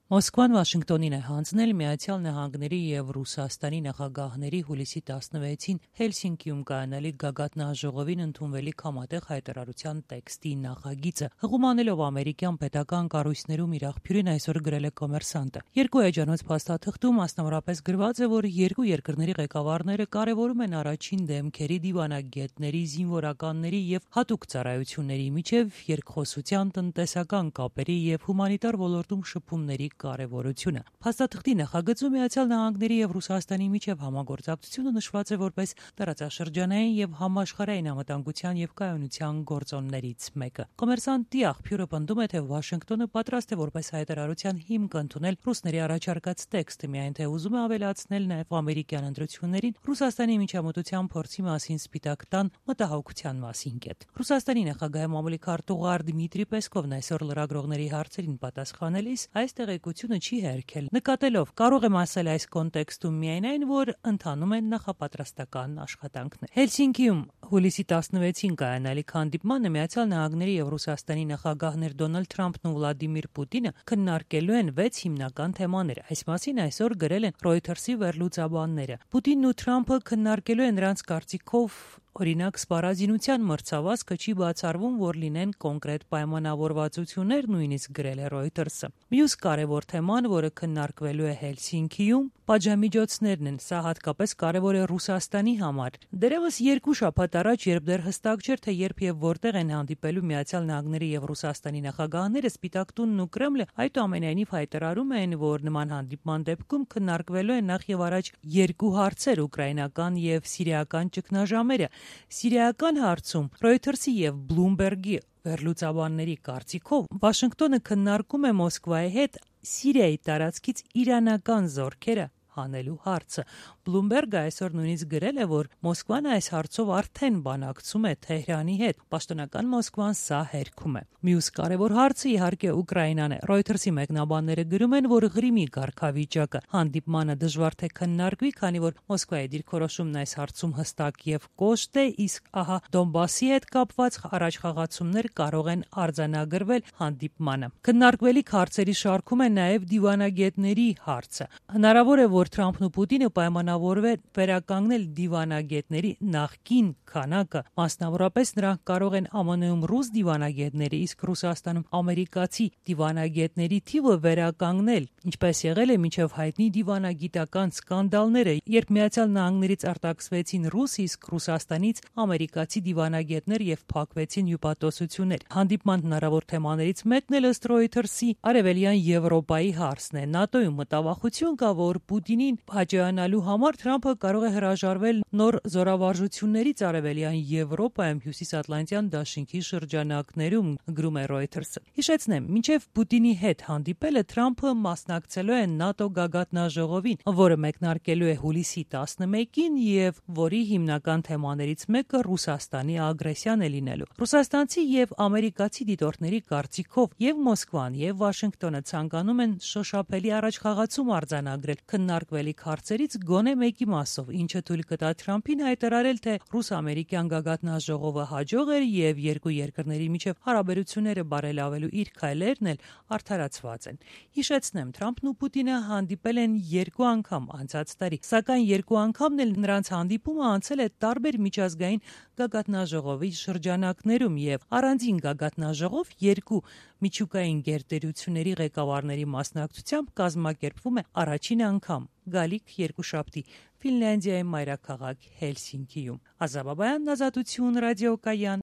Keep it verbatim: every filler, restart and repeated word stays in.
Մոսկվան Վաշինգտոնին է հանձնել Միացյալ Նահանգների և Ռուսաստանի նախագահների հուլիսի տասնվեցին Հելսինկիում կայանալիք գագաթնաժողովին ընդունվելիք համատեղ հայտարարության տեքստի նախագիծը։ Հղումանելով ամերիկյան պետական կառույցներում իր աղբյուրին այսօր գրել է Կոմերսանտը։ Երկու էջանոց փաստաթղթում մասնավորապես գրված է, որ երկու երկրների ղեկավարները կարևորում են առաջին դեմքերի, դիվանագետների, զինվորականների և հատուկ ծառայությունների միջև երկխոսության, տնտեսական կապերի և հումանիտար ոլորտում շփումների կարևորությունը։ Փաստաթղթի նախագծում Միացյալ Նահանգների և Ռուսաստանի միջև համագործակցությունը նշված է որպես տարածաշրջանային և համաշխարհային անվտանգության և կայունության գործոններից մեկը։ Կոմերսանտի աղբյուրը պնդում է, թե Վաշինգտոնը պատրաստ է որպես հայտարարության հիմք ընդունել ռուսների առաջարկած տեքստը, միայն թե ուզում է ավելացնել նաև ամերիկյան ընտրություններին Ռուսաստանի միջամտության փորձի մասին Սպիտակ տան մտահոգության մասին կետ։ Ռուսաստանի նախագահի մամուլի քարտուղար Դմիտրի Պեսկովն այսօր լրագրողների հարցերին պատասխանելիս այս տեղեկությունը չի հերքել, նկատելով կարող եմ ասել այս կոնտեքստում միայն այն, որ ընթանում են նախապատրաստական աշխատանքներ։ Հելսինկիում հուլիսի տասնվեցին կայանալիք հանդիպմանը Միացյալ Նահանգների և Ռուսաստանի նախագահներ Դոնալդ Թրամփն ու Վլադիմիր Պուտինը քննարկելու են վեց հիմնական թեմաներ։ Այս մասին այսօր գրել են Reuters-ի վերլուծաբանները։ Պուտինն ու Թրամփը քննարկելու են նրանց կարծիքով օրինակ սպառազինության մրցավազքը չի բացառվում, որ լինեն կոնկրետ պայմանավորվածություններ, նույնիսկ գրել է Reuters-ը։ Մյուս կարևոր թեման, որը քննարկվելու է Հելսինկիում, պատժամիջոցներն են։ Սա հատկապես կարևոր է Ռուսաստանի համար։ Դեռևս երկու շաբաթ առաջ, երբ դեռ հստակ չէր, թե երբ եւ որտեղ են հանդիպելու Միացյալ Նահանգների եւ Ռուսաստանի նախագահները, Սպիտակ տունն ու Կրեմլը այդուամենայնիվ հայտարարում են, որ նման հանդիպման դեպքում քննարկվելու են նախ եւ առաջ երկու հարցեր՝ ուկրաինական եւ սիրիական ճգնաժամերը։ Սիրիական հարցում Reuters-ի եւ Bloomberg-ի վերլուծաբանների կարծիքով Վաշինգտոնը քննարկում է Մոսկվայի հետ Սիրիայի տարածքից իրանական զորքերը հանելու հարցը։ Bloomberg-ը այսօր նույնիսկ գրել է, որ Մոսկվան այս հարցով արդեն բանակցում է Թեհրանի հետ։ Պաշտոնական Մոսկվան սա հերքում է։ Մյուս կարևոր հարցը իհարկե Ուկրաինան է։ Reuters-ի մեկնաբանները գրում են, որ Ղրիմի կարգավիճակը հանդիպմանը դժվար թե քննարկվի, քանի որ Մոսկվայի դիրքորոշումն այս հարցում հստակ եւ կոշտ է, իսկ ահա Դոնբասի հետ կապված առաջխաղացումներ կարող են արձանագրվել հանդիպմանը։ Քննարկվելիք հարցերի շարքում է նաեւ դիվանագետների հարցը։ Հնարավոր է, որ Թրամփն ու Պուտինը պայմանավորվեն վերականգնել դիվանագետների նախկին քանակը, մասնավորապես նրանք կարող են ԱՄՆ-ում ռուս դիվանագետների, իսկ Ռուսաստանում ամերիկացի դիվանագետների թիվը վերականգնել, ինչպես եղել է մինչև հայտնի դիվանագիտական սկանդալները, երբ Միացյալ Նահանգներից արտաքսվեցին ռուս, իսկ Ռուսաստանից ամերիկացի դիվանագետներ եւ փակվեցին հյուպատոսություններ։ Հանդիպման հնարավոր թեմաներից մեկն էլ ըստ Reuters-ի Արևելյան Եվրոպայի հարցն է։ ՆԱՏՕ-ում մտավախություն կա, որ Պուտինին հաջողանալու համար Թրամփը կարող է հրաժարվել նոր զորավարժություններից Արևելյան Եվրոպայում հյուսիսատլանտյան դաշինքի շրջանակներում, գրում է Reuters-ը։ Հիշեցնեմ, մինչև Պուտինի հետ հանդիպելը Թրամփը մասնակցելու է ՆԱՏՕ գագաթնաժողովին, որը մեկնարկելու է հուլիսի տասնմեկին եւ որի հիմնական թեմաներից մեկը Ռուսաստանի ագրեսիան է լինելու։ Ռուսաստանցի եւ ամերիկացի դիտորդների կարծիքով եւ Մոսկվան եւ Վաշինգտոնը ցանկանում են շոշափելի առաջխաղացում արձանագրել քննարկվելիք հարցերից գոնե մեկի մասով, ինչը թույլ կտա Թրամփին հայտարարել, թե ռուս-ամերիկյան գագաթնաժողովը հաջող էր եւ երկու երկրների միջև հարաբերությունները բարելավելու իր քայլերն էլ արդարացված են։ Հիշեցնեմ, Թրամփն ու Պուտինը հանդիպել են երկու անգամ անցած տարի, սակայն երկու անգամն էլ նրանց հանդիպումը անցել է տարբեր միջազգային գագաթնաժողովի շրջանակներում եւ առանձին գագաթնաժողով երկու միջուկային գերտերությունների ղեկավարների մասնակցությամբ կազմակերպվում է առաջին անգամ գալիք երկուշաբթի Ֆինլանդիայի մայրաքաղաք Հելսինկիում։ Ազատություն ռադիոկայան